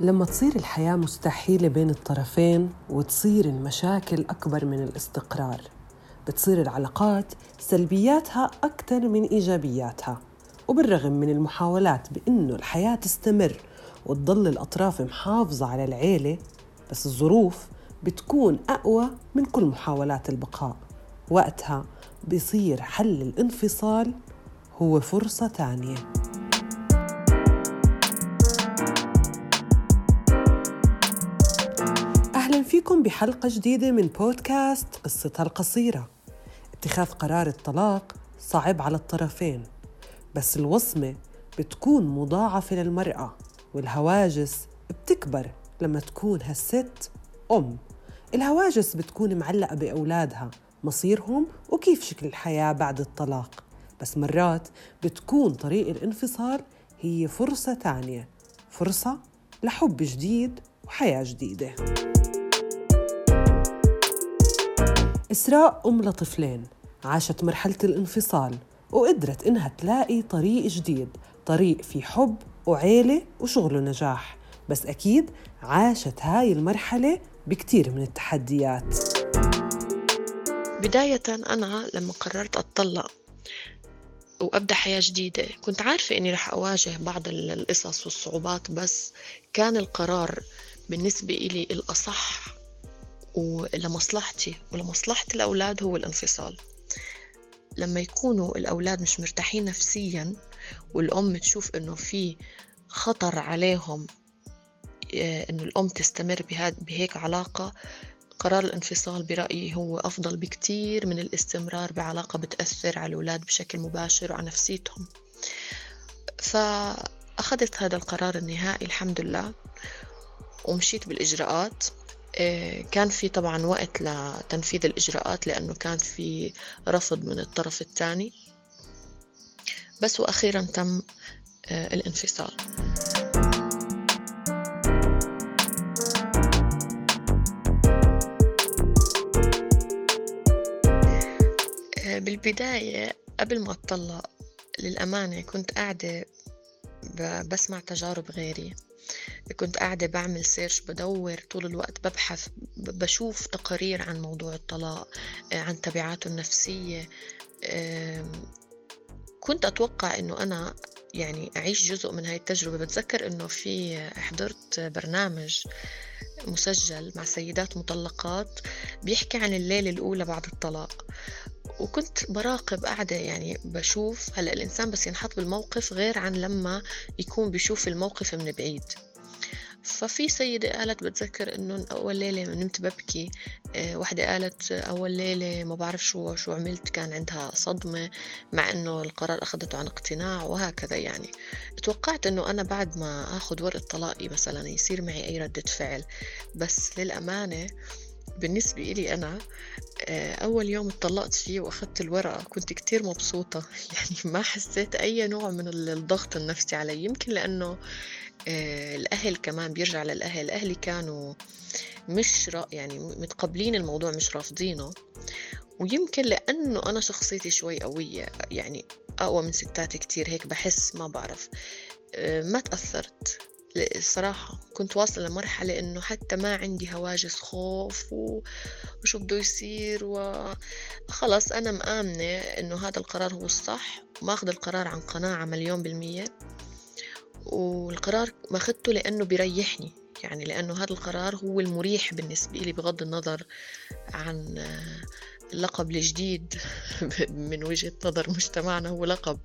لما تصير الحياة مستحيلة بين الطرفين وتصير المشاكل أكبر من الاستقرار، بتصير العلاقات سلبياتها أكثر من إيجابياتها. وبالرغم من المحاولات بأنه الحياة تستمر وتضل الأطراف محافظة على العيلة، بس الظروف بتكون أقوى من كل محاولات البقاء. وقتها بيصير حل الانفصال هو فرصة تانية. أهلاً فيكم بحلقة جديدة من بودكاست قصتها القصيرة. اتخاذ قرار الطلاق صعب على الطرفين، بس الوصمة بتكون مضاعفة للمرأة، والهواجس بتكبر لما تكون هالست أم. الهواجس بتكون معلقة بأولادها، مصيرهم وكيف شكل الحياة بعد الطلاق. بس مرات بتكون طريق الانفصال هي فرصة تانية، فرصة لحب جديد وحياة جديدة. إسراء أم لطفلين عاشت مرحلة الانفصال وقدرت إنها تلاقي طريق جديد، طريق في حب وعيلة وشغل ونجاح. بس أكيد عاشت هاي المرحلة بكتير من التحديات. بداية أنا لما قررت أتطلق وأبدأ حياة جديدة كنت عارفة أني رح أواجه بعض القصص والصعوبات، بس كان القرار بالنسبة إلي الأصح ولمصلحتي ولمصلحة الأولاد هو الانفصال. لما يكونوا الأولاد مش مرتاحين نفسياً والأم تشوف أنه في خطر عليهم أنه الأم تستمر بهيك علاقة، قرار الانفصال برأيي هو أفضل بكتير من الاستمرار بعلاقة بتأثر على الأولاد بشكل مباشر وعلى نفسيتهم. فأخذت هذا القرار النهائي الحمد لله ومشيت بالإجراءات. كان في طبعا وقت لتنفيذ الإجراءات لأنه كان في رفض من الطرف الثاني، بس وأخيرا تم الانفصال. بالبداية قبل ما أتطلق للأمانة كنت قاعدة بسمع تجارب غيري، كنت قاعدة بعمل سيرش، بدور طول الوقت، ببحث، بشوف تقارير عن موضوع الطلاق، عن تبعاته النفسية. كنت أتوقع أنه أنا يعني أعيش جزء من هاي التجربة. بتذكر أنه حضرت برنامج مسجل مع سيدات مطلقات بيحكي عن الليلة الأولى بعد الطلاق، وكنت براقب قاعدة يعني بشوف هلأ الإنسان بس ينحط بالموقف غير عن لما يكون بيشوف الموقف من بعيد. ففي سيدة قالت بتذكر إنه أول ليلة نمت ببكي، واحدة قالت أول ليلة ما بعرف شو عملت، كان عندها صدمة مع إنه القرار أخذته عن اقتناع وهكذا. يعني توقعت إنه أنا بعد ما أخذ ورقة طلاقي مثلا يصير معي أي ردة فعل، بس للأمانة بالنسبة إلي أنا أول يوم اتطلقت فيه وأخذت الورقة كنت كتير مبسوطة. يعني ما حسيت أي نوع من الضغط النفسي علي، يمكن لأنه الأهل كمان بيرجع للأهل، أهلي كانوا مش يعني متقبلين الموضوع مش رافضينه، ويمكن لأنه أنا شخصيتي شوي قوية، يعني أقوى من ستات كتير، هيك بحس ما بعرف، ما تأثرت. الصراحة كنت واصلة لمرحلة إنه حتى ما عندي هواجس خوف وشو بده يصير، وخلص أنا مآمنة إنه هذا القرار هو الصح، وماخذ القرار عن قناعة 100%، والقرار ما أخذته لأنه بيريحني، يعني لأنه هذا القرار هو المريح بالنسبة لي بغض النظر عن اللقب الجديد من وجهة نظر مجتمعنا هو لقب.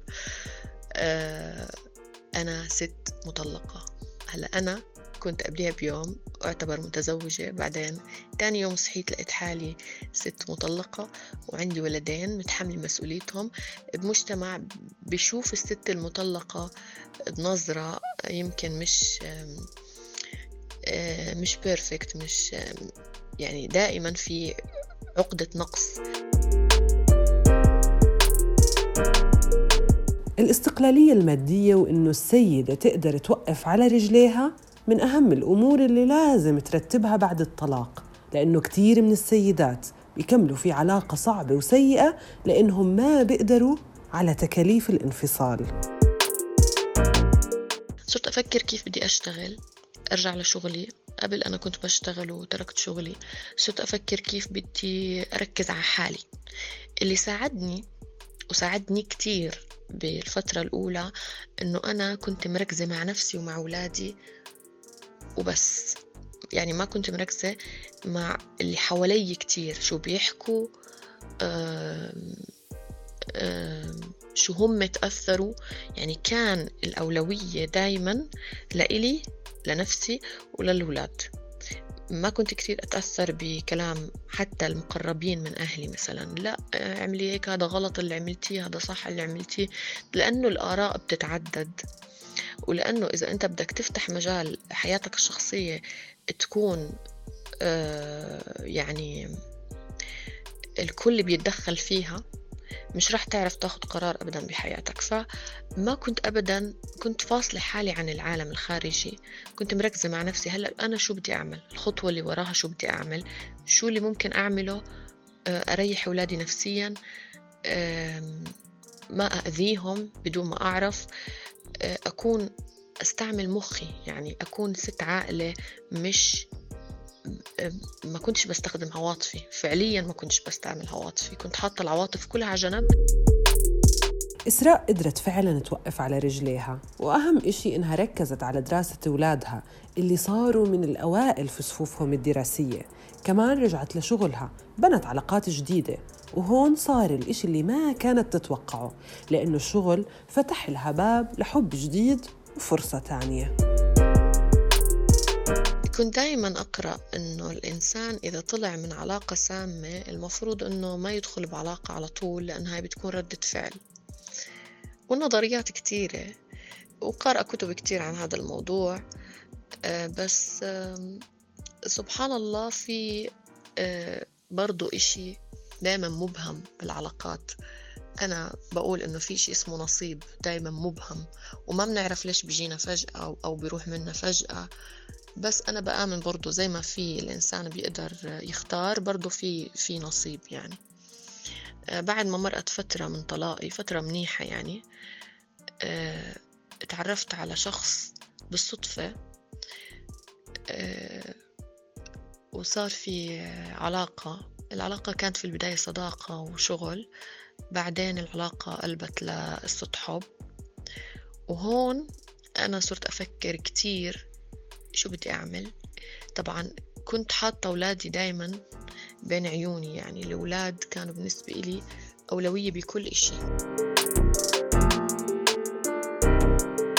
أنا ست مطلقة. هلأ أنا كنت قبلها بيوم أعتبر متزوجة، بعدين تاني يوم صحيت لقيت حالي ست مطلقة وعندي ولدين متحمل مسؤوليتهم بمجتمع بيشوف الست المطلقة بنظرة يمكن مش بيرفكت، مش يعني دائما في عقدة نقص. الاستقلالية المادية وإنه السيدة تقدر توقف على رجليها من أهم الأمور اللي لازم ترتبها بعد الطلاق، لأنه كتير من السيدات بيكملوا في علاقة صعبة وسيئة لأنهم ما بيقدروا على تكاليف الانفصال. صرت أفكر كيف بدي أشتغل أرجع لشغلي. قبل أنا كنت بشتغل وتركت شغلي، صرت أفكر كيف بدي أركز على حالي. اللي ساعدني وساعدني كتير بالفترة الأولى إنه أنا كنت مركزة مع نفسي ومع أولادي وبس. يعني ما كنت مركزة مع اللي حوالي كتير، شو بيحكوا، شو هم تأثروا. يعني كان الأولوية دايما لإلي، لنفسي وللولاد. ما كنت كتير أتأثر بكلام حتى المقربين من أهلي، مثلا لا اعملي هيك، هذا غلط اللي عملتيه، هذا صح اللي عملتيه، لأنه الآراء بتتعدد. ولأنه إذا أنت بدك تفتح مجال حياتك الشخصية تكون يعني الكل بيتدخل فيها، مش راح تعرف تاخد قرار أبدا بحياتك. فما كنت أبدا، كنت فاصلة حالي عن العالم الخارجي، كنت مركزة مع نفسي. هلأ أنا شو بدي أعمل، الخطوة اللي وراها شو بدي أعمل، شو اللي ممكن أعمله أريح أولادي نفسيا، ما أذيهم بدون ما أعرف، أكون أستعمل مخي، يعني أكون ست عاقلة. مش ما كنتش بستخدم عواطفي، فعليا ما كنتش بستعمل عواطفي، كنت حاطة العواطف كلها على جنب. إسراء قدرت فعلاً توقف على رجليها، وأهم إشي إنها ركزت على دراسة أولادها اللي صاروا من الأوائل في صفوفهم الدراسية. كمان رجعت لشغلها، بنت علاقات جديدة، وهون صار الإشي اللي ما كانت تتوقعه، لأنه الشغل فتح لها باب لحب جديد وفرصة تانية. كنت دايما أقرأ إنه الإنسان إذا طلع من علاقة سامة المفروض إنه ما يدخل بعلاقة على طول، لأنها بتكون ردة فعل. والنظريات كتيرة، وقارئ كتب كتير عن هذا الموضوع. بس سبحان الله، في برضو إشي دايما مبهم بالعلاقات. أنا بقول إنه في شيء اسمه نصيب دايما مبهم، وما بنعرف ليش بيجينا فجأة أو بيروح منا فجأة. بس أنا بآمن برضو زي ما في الإنسان بيقدر يختار، برضو في نصيب. يعني بعد ما مرقت فترة من طلاقي، فترة منيحة يعني، اتعرفت على شخص بالصدفة، وصار في علاقة. العلاقة كانت في البداية صداقة وشغل، بعدين العلاقة قلبت لقصة حب. وهون أنا صرت أفكر كتير شو بدي أعمل. طبعا كنت حاطة أولادي دايما بين عيوني، يعني الأولاد كانوا بالنسبة لي أولوية بكل إشي.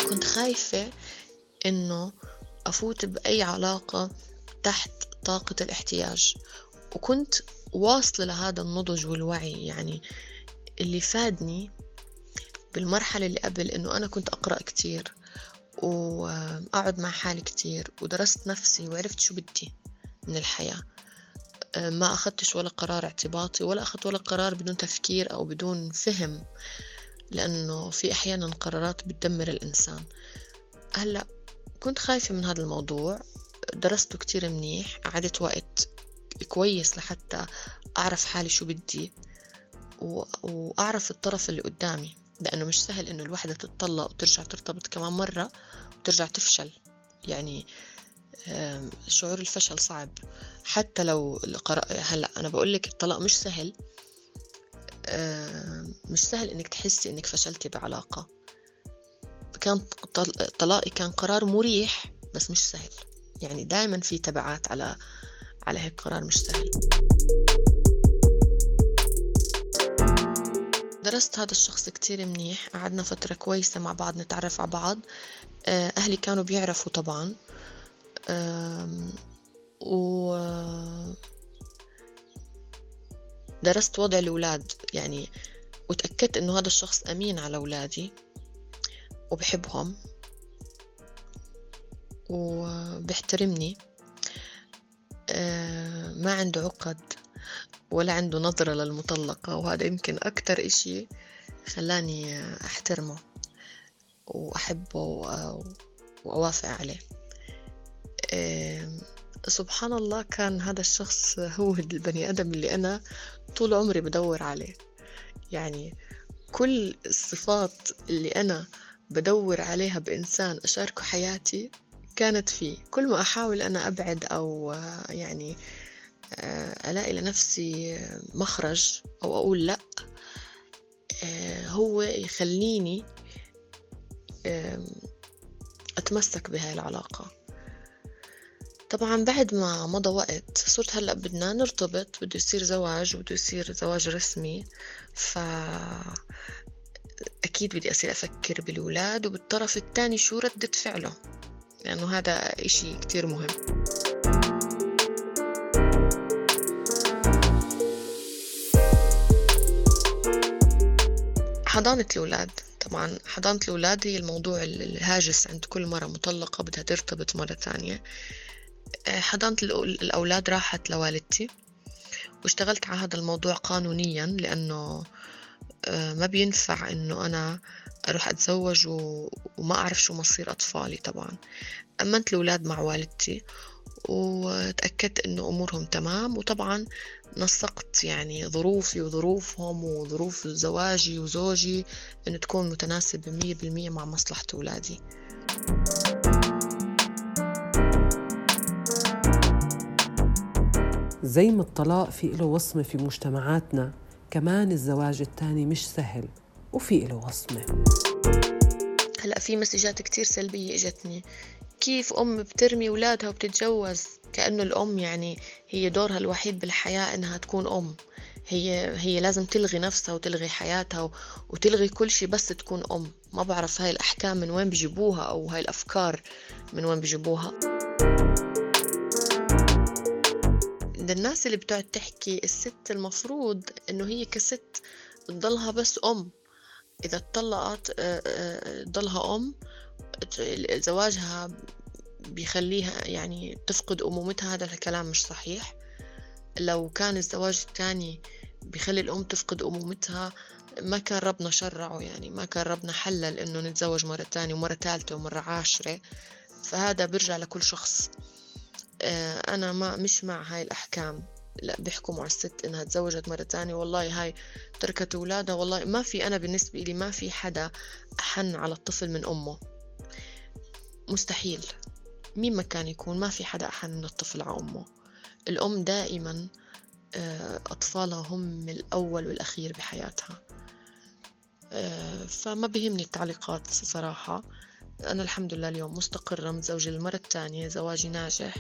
كنت خايفة إنه أفوت بأي علاقة تحت طاقة الاحتياج، وكنت واصلة لهذا النضج والوعي. يعني اللي فادني بالمرحلة اللي قبل إنه أنا كنت أقرأ كتير وأقعد مع حالي كتير، ودرست نفسي وعرفت شو بدي من الحياة. ما أخذتش ولا قرار اعتباطي، ولا أخذت ولا قرار بدون تفكير أو بدون فهم، لأنه في أحيانا قرارات بتدمر الإنسان. هلأ كنت خايفة من هذا الموضوع، درسته كتير منيح، قعدت وقت كويس لحتى أعرف حالي شو بدي وأعرف الطرف اللي قدامي، لأنه مش سهل إنه الوحدة تتطلق وترجع ترتبط كمان مرة وترجع تفشل. يعني شعور الفشل صعب. حتى لو هلأ أنا بقولك الطلاق مش سهل، مش سهل إنك تحسي إنك فشلتي بعلاقة. كان طلاقي كان قرار مريح بس مش سهل. يعني دائما في تبعات على هيك قرار مش سهل. درست هذا الشخص كتير منيح، قعدنا فترة كويسة مع بعض نتعرف على بعض. أهلي كانوا بيعرفوا طبعا، ودرست وضع الأولاد يعني، وتأكدت إنه هذا الشخص أمين على أولادي وبحبهم وبيحترمني، ما عنده عقد ولا عنده نظرة للمطلقة. وهذا يمكن أكتر إشي خلاني أحترمه وأحبه وأوافق عليه. سبحان الله، كان هذا الشخص هو البني آدم اللي أنا طول عمري بدور عليه. يعني كل الصفات اللي أنا بدور عليها بإنسان أشاركه حياتي كانت فيه. كل ما أحاول أنا أبعد أو يعني ألاقي لنفسي مخرج أو أقول لأ، هو يخليني أتمسك بهاي العلاقة. طبعا بعد ما مضى وقت صرت هلأ بدنا نرتبط، بده يصير زواج وبده يصير زواج رسمي، أكيد بدي أصير أفكر بالولاد وبالطرف الثاني شو ردة فعله، لأنه هذا إشي كتير مهم. حضانة الأولاد، طبعا حضانة الأولاد هي الموضوع الهاجس عند كل مرة مطلقة بدها ترتبط مرة ثانية. حضانة الأولاد راحت لوالدتي، واشتغلت على هذا الموضوع قانونيا، لأنه ما بينفع إنه أنا أروح أتزوج وما أعرف شو مصير أطفالي. طبعا أمنت الأولاد مع والدتي وتأكدت إنه أمورهم تمام، وطبعا نسقت يعني ظروفي وظروفهم وظروف زواجي وزوجي إنه تكون متناسبة 100% مع مصلحة أولادي. زي ما الطلاق في له وصمة في مجتمعاتنا، كمان الزواج الثاني مش سهل وفي له وصمة. هلأ في مسجات كتير سلبية إجتني، كيف أم بترمي أولادها وبتتجوز؟ كأنه الأم يعني هي دورها الوحيد بالحياة إنها تكون أم، هي لازم تلغي نفسها وتلغي حياتها وتلغي كل شيء بس تكون أم. ما بعرف هاي الأحكام من وين بيجيبوها، أو هاي الأفكار من وين بيجيبوها. الناس اللي بتقعد تحكي الست المفروض إنه هي كست تضلها بس أم، إذا اتطلقت تضلها أم، زواجها بيخليها يعني تفقد أمومتها. هذا الكلام مش صحيح. لو كان الزواج الثاني بيخلي الأم تفقد أمومتها ما كان ربنا شرعه، يعني ما كان ربنا حلل إنه نتزوج مرة ثانية ومرة ثالثة ومرة 10. فهذا بيرجع لكل شخص. أنا مش مع هاي الأحكام. لا، بيحكموا على الست إنها تزوجت مرة ثانية، والله هاي تركت أولادها. والله ما في، أنا بالنسبة لي ما في حدا أحن على الطفل من أمه، مستحيل. مين ما كان يكون، ما في حدا أحن من الطفل على أمه. الأم دائما أطفالها هم الأول والأخير بحياتها. فما بيهمني التعليقات صراحة. أنا الحمد لله اليوم مستقرة، متزوجة للمرة الثانية، زواجي ناجح.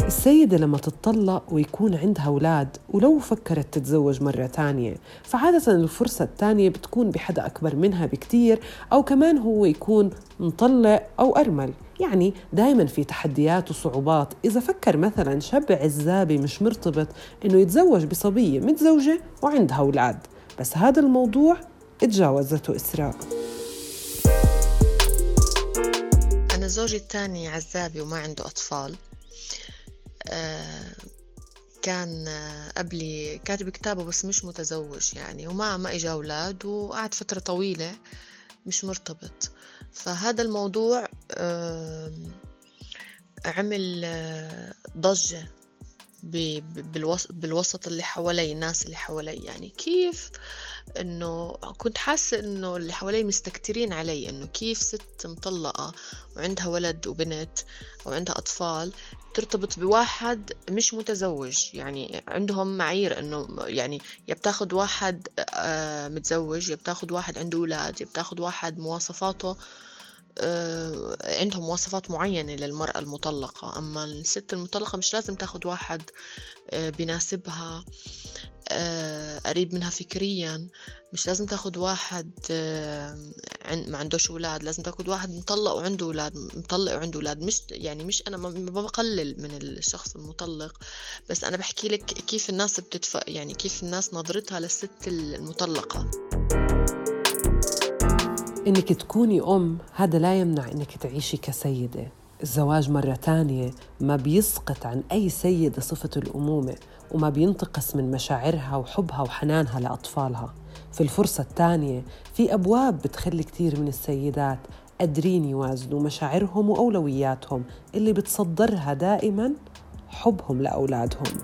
السيدة لما تتطلق ويكون عندها أولاد ولو فكرت تتزوج مرة تانية، فعادة الفرصة التانية بتكون بحدا أكبر منها بكتير، أو كمان هو يكون مطلق أو أرمل. يعني دايما في تحديات وصعوبات. إذا فكر مثلا شاب عزابي مش مرتبط إنه يتزوج بصبية متزوجة وعندها أولاد، بس هذا الموضوع اتجاوزته إسراء. أنا زوجي الثاني عزابي وما عنده أطفال. كان قبلي كاتب كتابه بس مش متزوج يعني، وما إجا أولاد، وقعد فترة طويلة مش مرتبط. فهذا الموضوع عمل ضجة بالوسط اللي حوالي، الناس اللي حوالي. يعني كيف إنه كنت حاسة إنه اللي حوالي مستكترين علي، إنه كيف ست مطلقة وعندها ولد وبنت وعندها أطفال ترتبط بواحد مش متزوج. يعني عندهم معايير إنه يعني يبتاخد واحد متزوج، يبتاخد واحد عنده أولاد، يبتاخد واحد مواصفاته، عندهم مواصفات معينة للمرأة المطلقة. أما الست المطلقة مش لازم تاخد واحد بيناسبها، قريب منها فكريا. مش لازم تاخد واحد ما عندوش أولاد، لازم تاخد واحد مطلق وعنده أولاد، مطلق وعنده أولاد. مش يعني مش أنا ما بقلل من الشخص المطلق، بس أنا بحكي لك كيف الناس يعني كيف الناس نظرتها للست المطلقة. إنك تكوني أم هذا لا يمنع إنك تعيشي كسيدة. الزواج مرة تانية ما بيسقط عن أي سيدة صفة الأمومة، وما بينتقص من مشاعرها وحبها وحنانها لأطفالها. في الفرصة الثانية في أبواب بتخلي كتير من السيدات قادرين يوازنوا مشاعرهم وأولوياتهم اللي بتصدرها دائماً حبهم لأولادهم.